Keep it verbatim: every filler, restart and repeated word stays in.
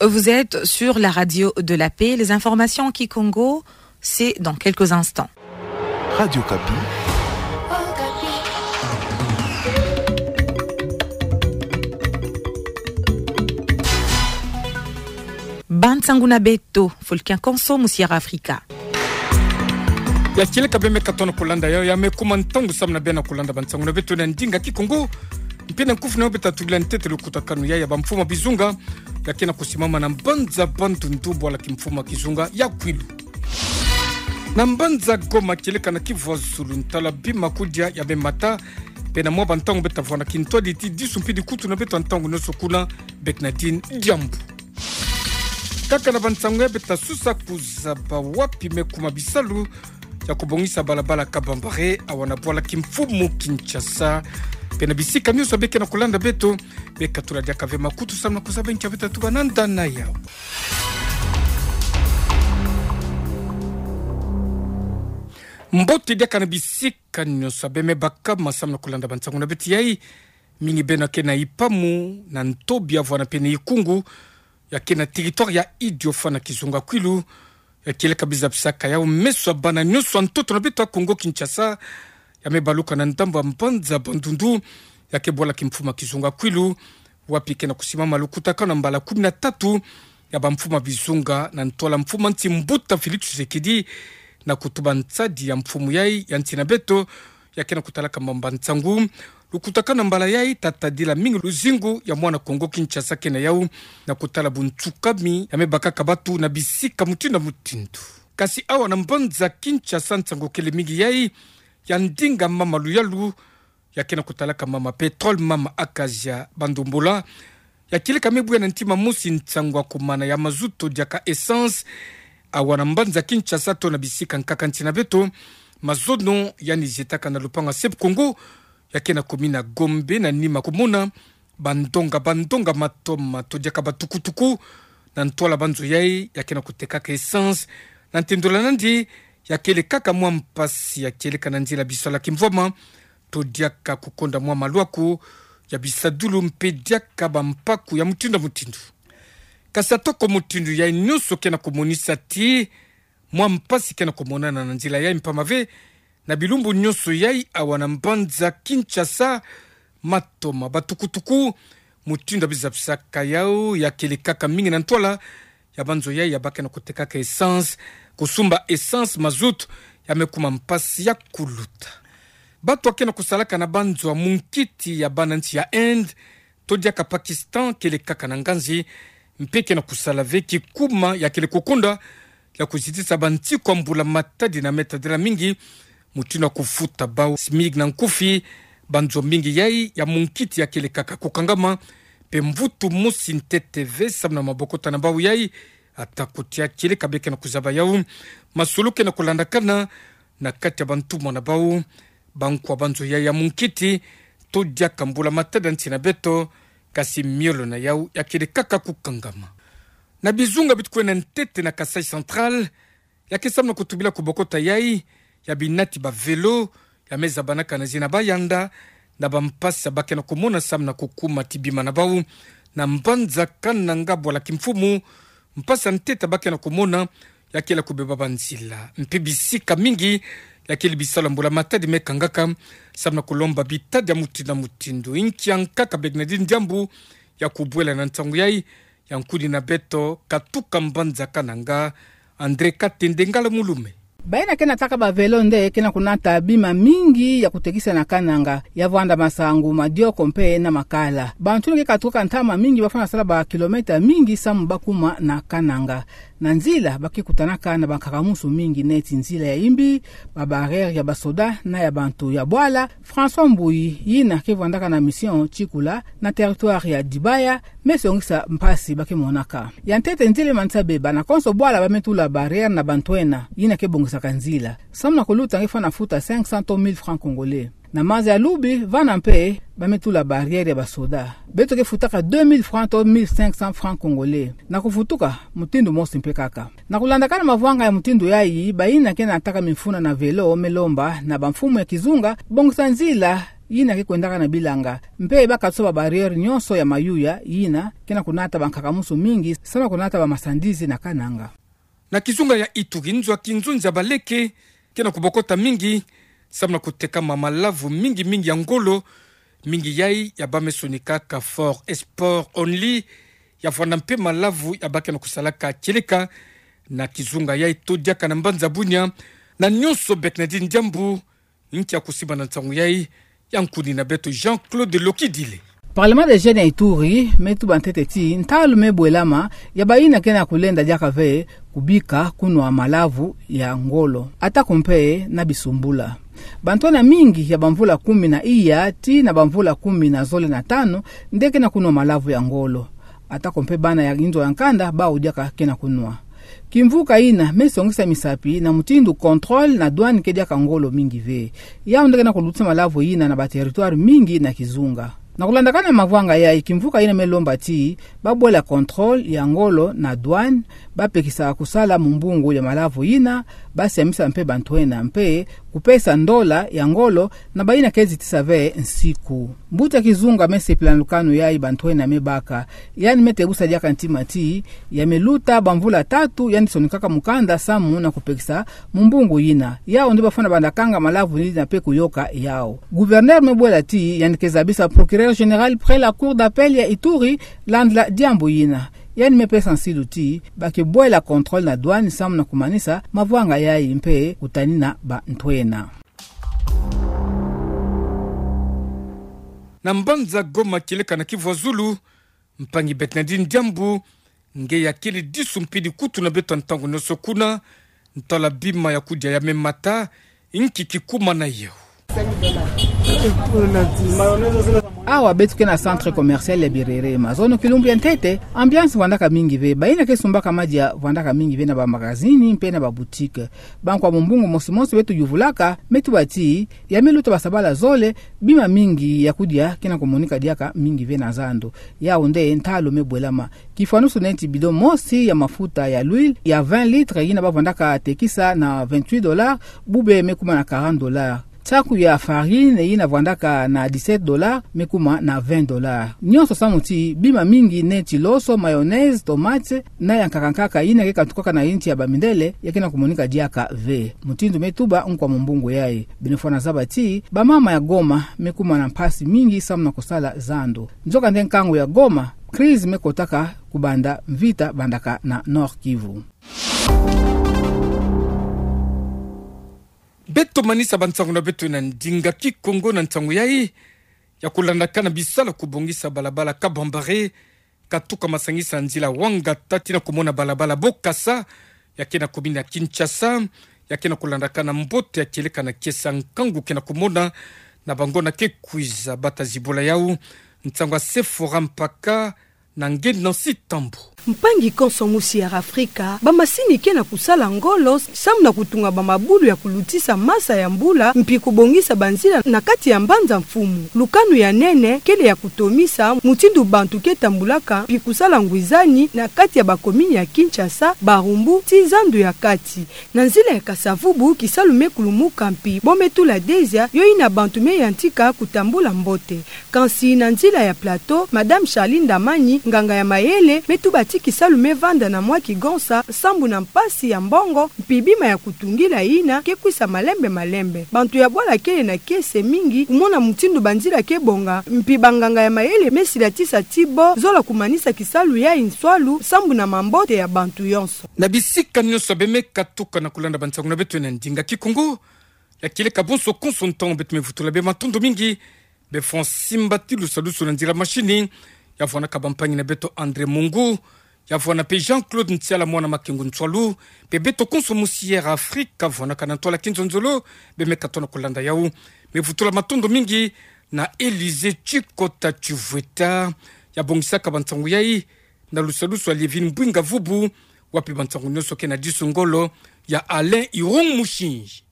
Vous êtes sur la radio de la paix. Les informations en kikongo, c'est dans quelques instants. Radio Okapi. Bansangu na beto, fo le kiakonso mu Sierra Africa. Ya kieleka bê me katuka na kolanda yayo, ya me kuma ntangu samu na bê na kolanda bansangu na beto na ndinga kikongo. Mpe na nkufi na yo beta tubila ntete lukutakanu ya, ya bamfumu bizunga, ya ke na kusimama na mbanza Bandundu, bwala kimfumu kizunga ya Kwilu. Na mbanza Goma kieleka na kivwazulu, ntala bima kudia ya me mata, mpe na mwa bantangu beta vwanda kintwadi ti disu mpe dikutu na beto ntangu nionso kuna, Bernardine Diambu. Kaka na bansangu ya beta susa kuzaba wapi me kuma bisalu ya kubongisa balabala kabambare awa na bwala kimfumu Kinshasa. Mpe na bisika nionso bê ke na kolanda beto, bê katula diaka ve makutu samu na kuzaba nki ya beta tuba na ndana yawu. Mbote diaka na bisika nionso bê me baka ma samu na kolanda bansangu na beto yayi. Mingi beno ke na ipamu, na ntobi ya vwanda mpe na ikungu, ya ke na territoire ya Idiofa na kizunga Kwilu, ya kieleka biza bisaka yawu meso ya bana nionso ya ntoto na beto ya Kongo Kinshasa, ya me baluka na ndambu ya mbanza Bandundu, ya ke bwala kimfumu kizunga Kwilu, wapi ke na kusimama lukutakanu na mbala kumi na tatu ya bamfumu bizunga na ntwala mfumu nsi Mbuta Félix Tshisekedi, na kutuba nsadi ya mfumu yayi ya nsi na beto, ya ke na kutalaka mamba nsangu. Lukutakanu na mbala yayi ta tadila mingi luzingu ya mwana Kongo Kinshasa ke na yawu, na kutala buntsukami ya me bakaka batu na bisika mutindu na mutindu. Kasi awa na mbanza Kinshasa nsangu kele mingi yayi, ya ndinga mama luyalu, ya ke na kutalaka mama pétrole, mama acacia, bandombola, ya kieleka me buya na ntima mosi nsangu ya kumana ya mazutu diaka essence, awa na mbanza Kinshasa to na bisika nkaka nsi na beto. Mazono yandi zietaka na lupangu ya Sep Congo, ya ke na commune ya Gombe, na nima kumona bandonga, bandonga matoma to diaka batukutuku na ntwala banzo yayi, ya ke na kutekaka essence. Na ntendola nandi, ya kele kaka mwa mpasi ya kieleka na nzila bisalu ya kimvwama, to diaka kukonda mwa malwaku ya bisadulu mpe diaka bampaku ya mutindu na mutindu. Kasi atako mutindu yayi nionso ke na kumonisa ti mwa mpasi ke na kumonana na nzila yayi, mpamba ve na bilumbu nionso yayi awa na mbanza Kinshasa, matoma, batukutuku, mutindu ya biza bisaka yawu, ya kele kaka mingi na ntwala ya banzo yayi ya ba ke na kutekaka essence, kusumba essence, mazout, ya me kuma mpasi ya kuluta. Batu ya ke na kusalaka na banzo ya munkiti ya bana nsi ya Inde to diaka Pakistan kele kaka na nganzi, mpe ke na kusala ve kikuma ya kele kukonda ya kuzitisa bansiku ya mbula matadi na me tadila mingi, mutindu ya kufuta bawu SMIC na nkufi. Banzo mingi yayi ya munkiti ya kele kaka kukangama, mpe mvutu mosi ntete ve samu na mabokota na bawu yayi. Atako tia kieleka bê ke na kuzaba yawu, masolo ke na kulandakana na kati ya bantumwa na bawu, bankwa banzo yayi ya munkiti, to diaka mbula matadi ya nsi na beto, kasi miolo na yawu ya kele kaka kukangama. Na bizunga bi tukwenda ntete na Kasaï Central, ya ke samu na kutubila kubokota yayi ya binati ba vélo, ya me zabanaka na zina bayanda, na bampasi ya ba ke na kumona samu na kukuma ti bima na bawu na mbanza Kananga, bwala kimfumu. Mpasi ya ntete ya ba ke na kumona ya kele kubeba banzila, mpe bisika mingi ya kele bisalu ya mbula matadi me kangaka samu na kulomba bitadi ya mutindu na mutindu. Inki ya nkaka Bernardine Diambu ya kubwela na nsangu yayi, ya nkuni na beto katuka mbanza Kananga, André Katende Ngala Mulume. Bayina ke nataka ba vélo nde ke na kunata bima mingi ya kutekisa na Kananga, ya vwanda masangu, madioko mpe na makala. Bantu ni ke katukaka ntama mingi, bafwana sala ba kilomètre mingi samu ba kuma na Kananga. Na nzila, ba ke kutanaka na bankakumusu mingi neti nzila ya imbi, ba barrière ya basoda na ya bantu ya bwala. François Mbuyi, yina ke vwandaka na mission Tsikula na territoire ya Dibaya, me songisa mpasi ba ke monaka. Ya ntete nzila manisa beba, na konso bwala ba me tula barrière na bantwena, yina ke bongisaka nzila. Samu na kuluta nge fwana futa cinq cents to mille francs congolais. Na maza ya lubi, vana mpe ba me tula barrière ya basoda. Beto ke futaka deux mille francs to mille cinq cents francs congolais. Na kuvutuka, mutindu mosi mpe kaka. Na kulandakana mavwanga ya mutindu yayi, bayina ke nataka mifuna na vélo me lomba na bamfumu ya kizunga bongisa nzila yina ke kwendaka na bilanga, mpe bakatusa ba barrière nyonso ya mayuya yina ke na kunata bankaka-musu mingi, samu na kunata ba marchandises na kananga. Na kizunga ya Ituri, nzo ya kinzonzi ya baleke ke na kubokota mingi, samu na kutekama malavu mingi mingi ya ngolo, mingi yayi ya bamesoni kaka fort export only, ya vwanda mpe malavu ya ba ke na kusalaka kieleka. Na kizunga yayi to diaka na mbanza Bunia, na nyonso Bernardine Diambu ntia kusiba na nsangu yayi, ya nkuni na beto Jean-Claude Lokidile. Parlement des jeunes ya Ituri me tuba ntete ti ntalu me bwelama ya bayina ke na kulenda diaka ve kubika kunwa malavu ya ngolo, atako mpe na bisumbula. Bantwenia mingi ya bamvula kumi na iya tii na bamvula kumi na zole na tanu nde ke na kunwa malavu ya ngolo. Atako mpe bana ya inzo ya nkanda bawu diaka ke na kunwa. Kimvuka yina me songisa misapi na mutindu contrôle na douane ke diaka ngolo mingi ve. Yawu nde ke na kulutisa malavu yina na ba territoire mingi na kizunga. Na kulandakana mavwanga yayi, kimvuka yina me lomba ti babwela contrôle ya ngolo na douane, bapekisa kusala mumbungu ya malavu yina, basiamisa mpe bantwenia mpe kupesa ndola ya ngolo na bayina ke zitisa ve nsiku. Mbuta kizunga me sepila na lukanu yayi bantwenia me baka. Yandi me tebusa diaka ntima ti ya me luta bamvula tatu yandi sonikaka mukanda samu na kupekisa mumbungu yina. Yawu nde bafwana bandakanga malavu yina mpe kuyoka yawu. Gouverneur me bwela ti yandi ke zabisa procureur général près la cour d'appel ya Ituri landila diambu yina. Yandi me pesa nsilu ti ba ke bwela contrôle na douane samu na kumanisa mavwanga yayi mpe kutanina bantwenia. Na mbanza Goma kieleka na Kivu ya Zulu, mpangi Bernardine Diambu nge ya kele disu mpidi kutu na beto ntangu nyonso kuna, ntwala bima ya kudia ya me mata, nki kikuma na yo. Awa beto ke na centre commercial ya Birere, mazono kilumbu ya ntete, ambiance vwandaka mingi ve, bayina ke sumbaka madia vwandaka mingi ve na ba magazini mpe na ba boutique. Bankwa mumbungu mosi mosi beto yuvulaka, me tuba ti ya me luta basabala zole, bima mingi ya kudia ke na kumonika diaka mingi ve na zandu. Yawu nde ntalu me bwelama. Kifwanusu neti bidon mosi ya mafuta ya l'huile ya vingt litres yina bavwandaka tekisa na vingt-huit dollars, bube me kuma na quarante dollars. Saku ya farine yina vwandaka na dix-sept dollars me kuma na vingt dollars. Nyonso samu ti bima mingi neti loso, mayonnaise, tomate, na ya nkaka nkaka yina ke katukaka na insi ya bamindele, ya ke na kumonika diaka ve. Mutindu me tuba nkwa mumbungu yayi. Beno fwana zaba ti bamama ya Goma me kuma na mpasi mingi samu na kusala zandu. Nzokande nkangu ya Goma, crise me kotaka kubanda mvita bandaka na Nord-Kivu. Beto manisa bansangu na beto na ndinga Kikongo na nsangu yayi, ya kulandakana bisalu ya kubongisa balabala Kabambare, katuka masangisa nzila Wangata tii na kumona balabala Bokassa, ya ke na commune ya Kinshasa, ya ke na kulandakana mbote ya kieleka na kiese ya nkangu ke na kumona na bangonda ke kwiza. Bata zibula yawu, nsangu ya Sephora Mpaka, na nge Nancy Tambo. Mpangi konso musi ya Afrika, bamasini ke na kusala ngolo samu na kutunga bamabulu ya kulutisa masa ya mbula, mpi kubongisa banzila na kati ya Mbanza Mfumu. Lukanu ya nene kele ya kutomisa mutindu bantu ke tambulaka mpi kusala ngwizani na kati ya bakomini ya Kinshasa, Barumbu tii Zandu ya Kati. Na nzila ya Kasa-Vubu, kisalu me kulumuka mpi bo me tula dezia, yo yina bantu me yantika kutambula mbote. Kansi na nzila ya Plateau, Madame Charline Ndamani, nganga ya mayele, me tuba ti kisalu me vanda na mwa kigonsa sambu na mpasi ya mbongo, mpi bima ya kutungila yina ke kwisa malembe malembe. Bantu ya bwala kele na kiese mingi kumona mutindu banzila ke bonga, mpi banganga ya mayele me silatisa ti bo zola kumanisa kisalu yayi nswalu sambu na mambote ya bantu yonso. Na bisika nyonso beno me katuka na kulanda bansangu na beto na ndinga Kikongo, ya kieleka bonso konso ntangu, beto me vutula beno matondo mingi. Beno fwa simba ti lusadusu na nzila machine, ya vwanaka bampangi na beto André Mungu, ya vwana mpe Jean-Claude Ntiala mwana Makengo Nswalu, mpe beto konso musi ya Afrika vwanaka na ntwala kinzonzolo, beno me katuka na kulanda yawu. Me vutula matondo mingi na Élysée Tshikota Tshivweta, ya bongisaka bansangu yayi, na lusadusu ya Lievine Mbwinga Vubu, wapi bansangu nyonso ke na disu ngolo ya Alain Irung Mushinji.